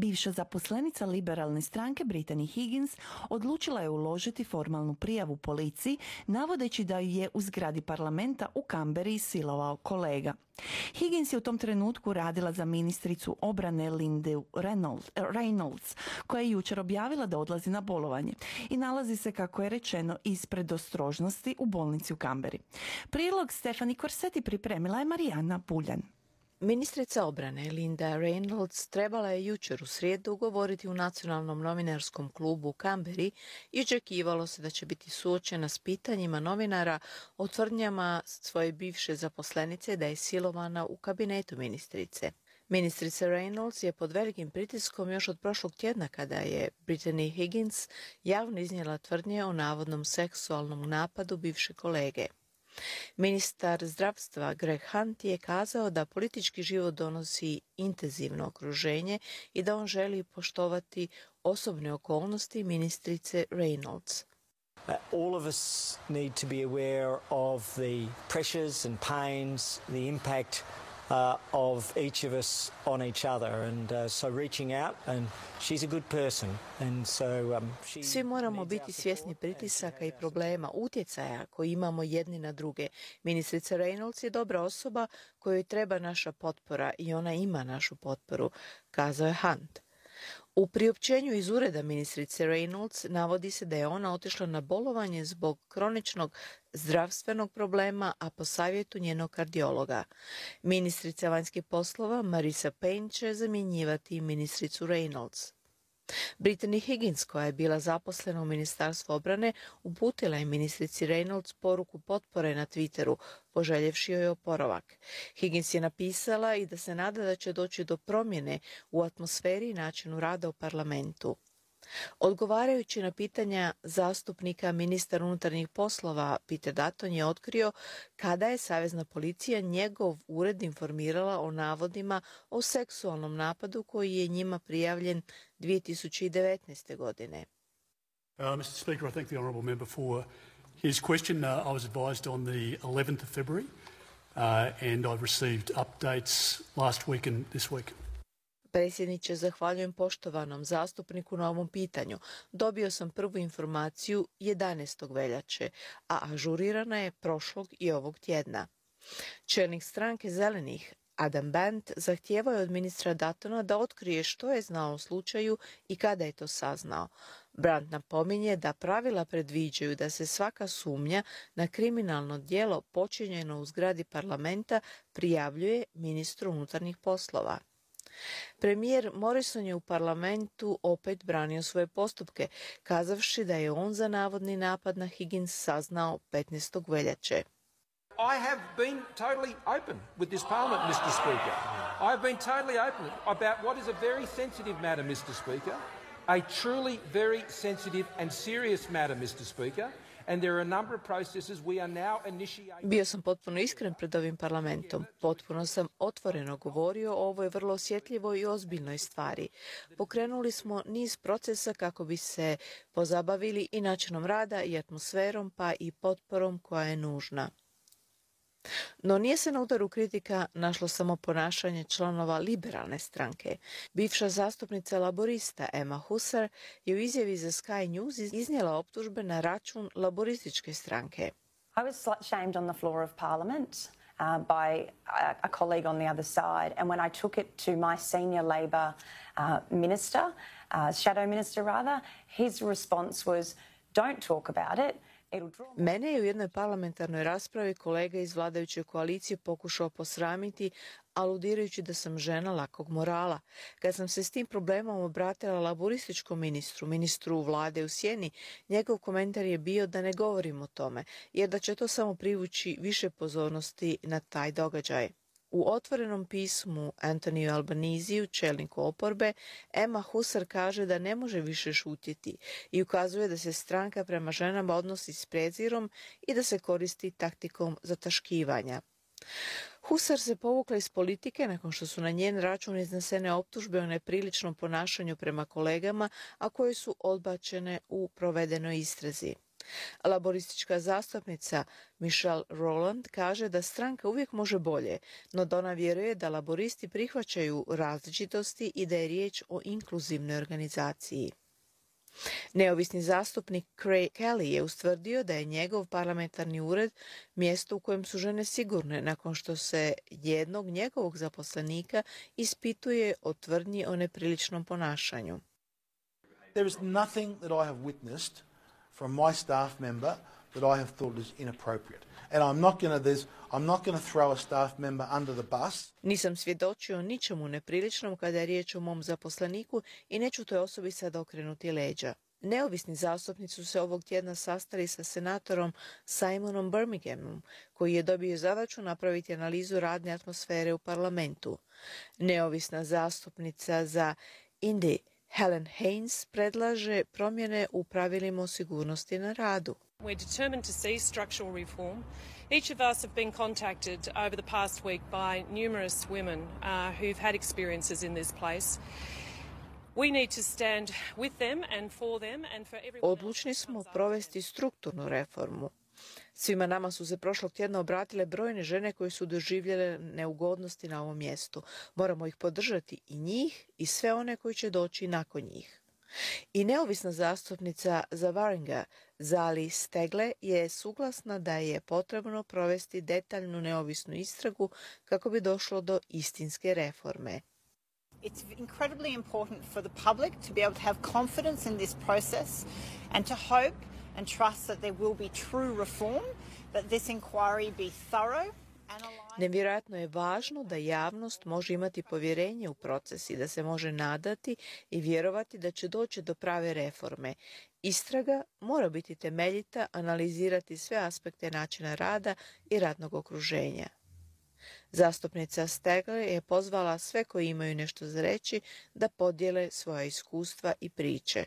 Bivša zaposlenica liberalne stranke Brittany Higgins odlučila je uložiti formalnu prijavu policiji, navodeći da ju je u zgradi parlamenta u Canberri silovao kolega. Higgins je u tom trenutku radila za ministricu obrane Lindu Reynolds, koja je jučer objavila da odlazi na bolovanje i nalazi se, kako je rečeno, ispred ostrožnosti u bolnici u Canberri. Prilog Stefani Korseti pripremila je Marijana Buljan. Ministrica obrane Linda Reynolds trebala je jučer u srijedu govoriti u Nacionalnom novinarskom klubu u Canberri i očekivalo se da će biti suočena s pitanjima novinara o tvrdnjama svoje bivše zaposlenice da je silovana u kabinetu ministrice. Ministrica Reynolds je pod velikim pritiskom još od prošlog tjedna kada je Brittany Higgins javno iznijela tvrdnje o navodnom seksualnom napadu bivše kolege. Ministar zdravstva Greg Hunt je kazao da politički život donosi intenzivno okruženje i da on želi poštovati osobne okolnosti ministrice Reynolds. All of us need to be aware of the pressures and pains, the impact of each of us on each other, and so reaching out, and she's a good person, and so Svi moramo biti svjesni pritisaka i problema, utjecaja koji imamo jedni na druge. Ministrica Reynolds je dobra osoba kojoj treba naša potpora i ona ima našu potporu, kazao je Hunt. U priopćenju iz ureda ministrice Reynolds navodi se da je ona otišla na bolovanje zbog kroničnog zdravstvenog problema, a po savjetu njenog kardiologa. Ministrica vanjskih poslova Marisa Payne će zamjenjivati ministricu Reynolds. Brittany Higgins, koja je bila zaposlena u Ministarstvu obrane, uputila je ministrici Reynolds poruku potpore na Twitteru, poželjevši joj oporavak. Higgins je napisala i da se nada da će doći do promjene u atmosferi i načinu rada u parlamentu. Odgovarajući na pitanja zastupnika, ministar unutarnjih poslova Peter Dutton je otkrio kada je Savezna policija njegov ured informirala o navodima o seksualnom napadu koji je njima prijavljen 2019. godine. Mr. Speaker, I thank the honourable member for his question. I was advised on the 11th of February and I've received updates last week and this week. Predsjedniče, zahvaljujem poštovanom zastupniku na ovom pitanju. Dobio sam prvu informaciju 11. veljače, a ažurirana je prošlog i ovog tjedna. Čelnik stranke Zelenih, Adam Bandt, zahtijevao je od ministra Duttona da otkrije što je znao o slučaju i kada je to saznao. Brandt napominje da pravila predviđaju da se svaka sumnja na kriminalno djelo počinjeno u zgradi parlamenta prijavljuje ministru unutarnjih poslova. Premijer Morrison je u parlamentu opet branio svoje postupke, kazavši da je on za navodni napad na Higgins saznao 15. veljače. I have been totally open with this parliament, Mr. Speaker. I have been totally open about what is a very sensitive matter, Mr. Speaker. A truly very sensitive and serious matter, Mr. Speaker. And there are a number of processes we are now initiating. Bio sam potpuno iskren pred ovim parlamentom. Potpuno sam otvoreno govorio o ovoj vrlo osjetljivoj i ozbiljnoj stvari. Pokrenuli smo niz procesa kako bi se pozabavili i načinom rada i atmosferom, pa i potporom koja je nužna. No nije se na udaru kritika našlo samo ponašanje članova liberalne stranke. Bivša zastupnica laborista Emma Husser je u izjavi za Sky News iznijela optužbe na račun laborističke stranke. I was slut-shamed on the floor of Parliament by a colleague on the other side, and when I took it to my senior Labor minister, shadow minister rather, his response was, "Don't talk about it." Mene je u jednoj parlamentarnoj raspravi kolega iz vladajuće koalicije pokušao posramiti, aludirajući da sam žena lakog morala. Kad sam se s tim problemom obratila laborističkom ministru vlade u sjeni, njegov komentar je bio da ne govorim o tome, jer da će to samo privući više pozornosti na taj događaj. U otvorenom pismu Anthony Albanisiju, čelniku oporbe, Emma Husser kaže da ne može više šutjeti i ukazuje da se stranka prema ženama odnosi s prezirom i da se koristi taktikom zataškivanja. Husser se povukla iz politike nakon što su na njen račun iznesene optužbe o nepriličnom ponašanju prema kolegama, a koje su odbačene u provedenoj istrazi. Laboristička zastupnica Michelle Rowland kaže da stranka uvijek može bolje, no da ona vjeruje da laboristi prihvaćaju različitosti i da je riječ o inkluzivnoj organizaciji. Neovisni zastupnik Craig Kelly je ustvrdio da je njegov parlamentarni ured mjesto u kojem su žene sigurne nakon što se jednog njegovog zaposlenika ispituje o tvrdnji o nepriličnom ponašanju. There is nothing that I have witnessed from my staff member that I have thought is inappropriate. And I'm not going to throw a staff member under the bus. Nisam svjedočio ničemu nepriličnom kada je riječ o mom zaposleniku i neću toj osobi sad okrenuti leđa. Neovisni zastupnici su se ovog tjedna sastali sa senatorom Simonom Birminghamom, koji je dobio zadaću napraviti analizu radne atmosfere u parlamentu. Neovisna zastupnica za Indy Helen Haynes predlaže promjene u pravilima o sigurnosti na radu. We're determined to see structural reform. Each of us have been contacted over the past week by numerous women who've had experiences in this place. We need to stand with them and for them and for everyone. Odlučni smo provesti strukturnu reformu. Svima nama su se prošlog tjedna obratile brojne žene koje su doživjele neugodnosti na ovom mjestu. Moramo ih podržati i njih i sve one koji će doći nakon njih. I neovisna zastupnica za Warringa, Zali Stegle, je suglasna da je potrebno provesti detaljnu neovisnu istragu kako bi došlo do istinske reforme. It's incredibly important for the public to be able to have confidence in this process and to hope and trust that there will be true reform, that this inquiry be thorough. Nevjerojatno je važno da javnost može imati povjerenje u proces i da se može nadati i vjerovati da će doći do prave reforme. Istraga mora biti temeljita, analizirati sve aspekte načina rada i radnog okruženja. Zastupnica Stegle je pozvala sve koji imaju nešto za reći da podijele svoja iskustva i priče.